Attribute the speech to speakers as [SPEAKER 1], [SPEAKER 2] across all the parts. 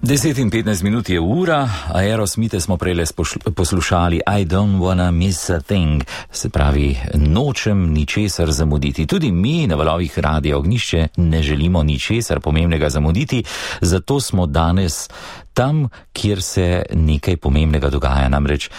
[SPEAKER 1] 10:15 je ura, Aerosmite smo prejle poslušali I don't wanna miss a thing, se pravi, nočem ničesar zamuditi. Tudi mi na valovih Radia Ognjišče ne želimo ničesar pomembnega zamuditi, zato smo danes tam, kjer se nekaj pomembnega dogaja, namreč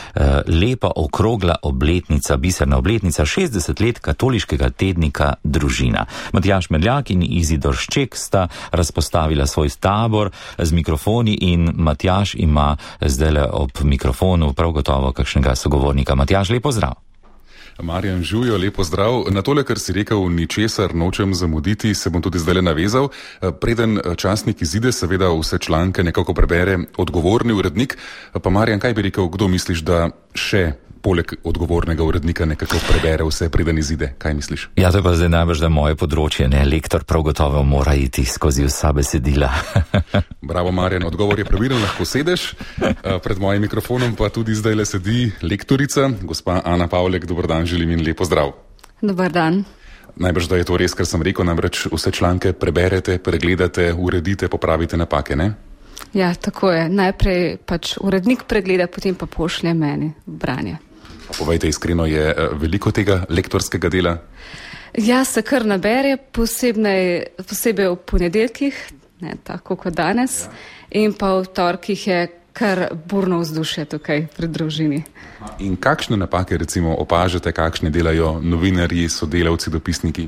[SPEAKER 1] lepa okrogla obletnica, biserna obletnica, 60 let katoliškega tednika Družina. Matjaž Merljak in Izidor Šček sta razpostavila svoj tabor z mikrofoni in Matjaž ima zdaj ob mikrofonu prav gotovo kakšnega sogovornika. Matjaž, lep pozdrav.
[SPEAKER 2] Marjan Žujo, lepo zdrav. Na tole, kar si rekel, ničesar nočem zamuditi, se bom tudi zdaj navezal. Preden časnik izide, seveda vse članke nekako prebere odgovorni urednik. Pa Marjan, kaj bi rekel, kdo misliš, da še poleg odgovornega urednika nekako prebere vse, preden izide? Kaj misliš?
[SPEAKER 1] Ja, to je pa zdaj najbrž, da moje področje, ne, lektor prav gotovo mora iti skozi vsa besedila.
[SPEAKER 2] Bravo, Marjan, odgovor je pravilen, lahko sedeš. Pred mojim mikrofonom pa tudi zdaj le sedi lektorica, gospa Ana Pavlek. Dober dan, želim in lepo zdrav.
[SPEAKER 3] Dober dan.
[SPEAKER 2] Najbrž, da je to res, kar sem rekel, namreč vse članke preberete, pregledate, uredite, popravite napake, ne?
[SPEAKER 3] Ja, tako je. Najprej pač urednik pregleda, potem pa pošlje meni v branje.
[SPEAKER 2] Povejte iskreno, je veliko tega lektorskega dela?
[SPEAKER 3] Ja, se kar nabere, posebej v ponedeljkih, ne tako kot danes, in pa v torkih je kar burno vzdušje tukaj pri Družini.
[SPEAKER 2] In kakšne napake recimo opažate, kakšne delajo novinarji, sodelavci, dopisniki?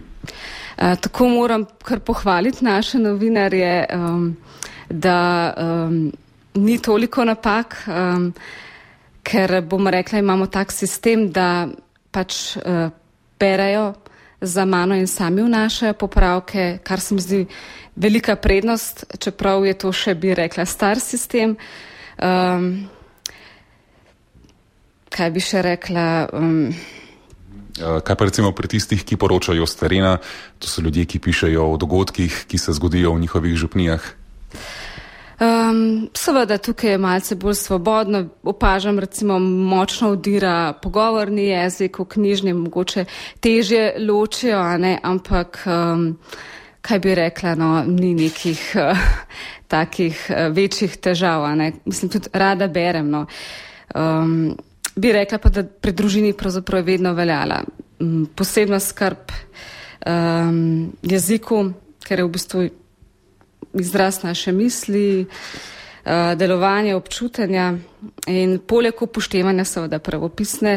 [SPEAKER 3] Tako moram kar pohvaliti naše novinarje, da ni toliko napak, ker bom rekla, imamo tak sistem, da pač berejo za mano in sami vnašajo popravke, kar se mi zdi velika prednost, čeprav je to še, bi rekla, star sistem. Kaj bi še rekla?
[SPEAKER 2] Kaj pa recimo pri tistih, ki poročajo s terena, to so ljudje, ki pišejo o dogodkih, ki se zgodijo v njihovih župnijah?
[SPEAKER 3] Seveda tukaj je malce bolj svobodno, opažam recimo močno vdira pogovorni jezik, v knjižni mogoče težje ločijo, ampak kaj bi rekla, ni nekih takih večjih težav, mislim, tudi rada berem, bi rekla pa, da pri Družini pravzaprav je vedno veljala posebna skrb jeziku, ker je v bistvu izraz naše misli, delovanje, občutenja in poleg upoštevanja seveda pravopisne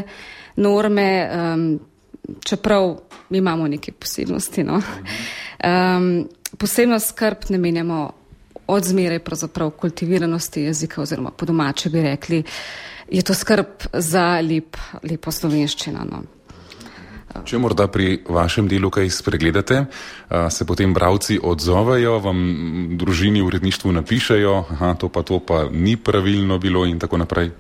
[SPEAKER 3] norme, čeprav imamo neke posebnosti. Posebno skrb namenjamo od zmeraj pravzaprav kultiviranosti jezika oziroma po domače bi rekli, je to skrb za lepo slovenščino.
[SPEAKER 2] Če morda pri vašem delu kaj spregledate, se potem bralci odzovejo, vam Družini v uredništvu napišejo, to pa ni pravilno bilo in tako naprej?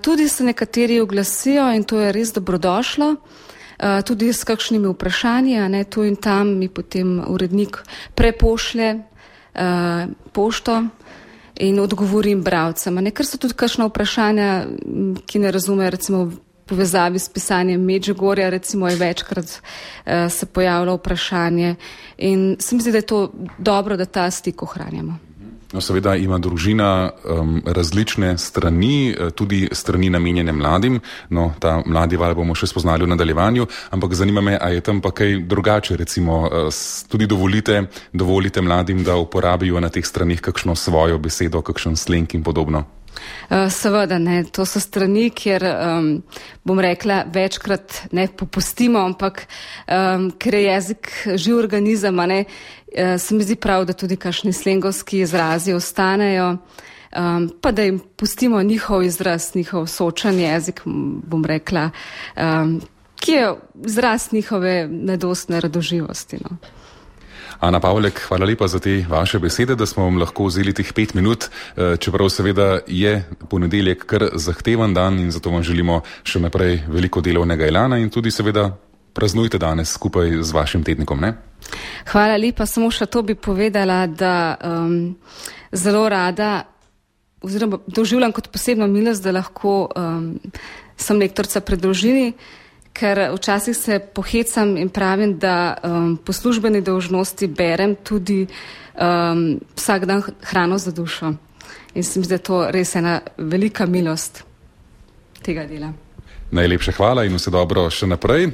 [SPEAKER 3] Tudi se nekateri oglasijo in to je res dobrodošlo, tudi s kakšnimi vprašanji, tu in tam mi potem urednik prepošlje pošto in odgovorim bralcem. Ker so tudi kakšna vprašanja, ki ne razumejo, recimo povezavi s pisanjem Medžugorja, recimo je večkrat se pojavilo vprašanje in se mi zdi, da je to dobro, da ta stik ohranjamo.
[SPEAKER 2] No, seveda ima Družina različne strani, tudi strani namenjene mladim, ta mladi val bomo še spoznali v nadaljevanju, ampak zanima me, a je tam pa kaj drugače, recimo tudi dovolite mladim, da uporabijo na teh stranih kakšno svojo besedo, kakšen sleng in podobno?
[SPEAKER 3] Seveda ne, to so strani, kjer bom rekla večkrat ne popustimo, ampak ker je jezik živ organizem, se mi zdi prav, da tudi kakšni slengovski izrazi ostanejo, pa da jim pustimo njihov izraz, njihov sočen jezik, bom rekla, ki je izraz njihove nedostne radoživosti.
[SPEAKER 2] Ana Pavlek, hvala lepa za te vaše besede, da smo vam lahko vzeli teh 5 minut, čeprav seveda je ponedeljek kar zahteven dan in zato vam želimo še naprej veliko delovnega elana in tudi seveda praznujte danes skupaj z vašim tednikom, ne?
[SPEAKER 3] Hvala lepa, samo še to bi povedala, da zelo rada oziroma doživljam kot posebno milost, da lahko sem lektorica pri Družini, ker včasih se pohecam in pravim, da po službeni dolžnosti berem tudi vsak dan hrano za dušo. In se mi zdi, da je to res ena velika milost tega dela.
[SPEAKER 2] Najlepša hvala in vse dobro še naprej.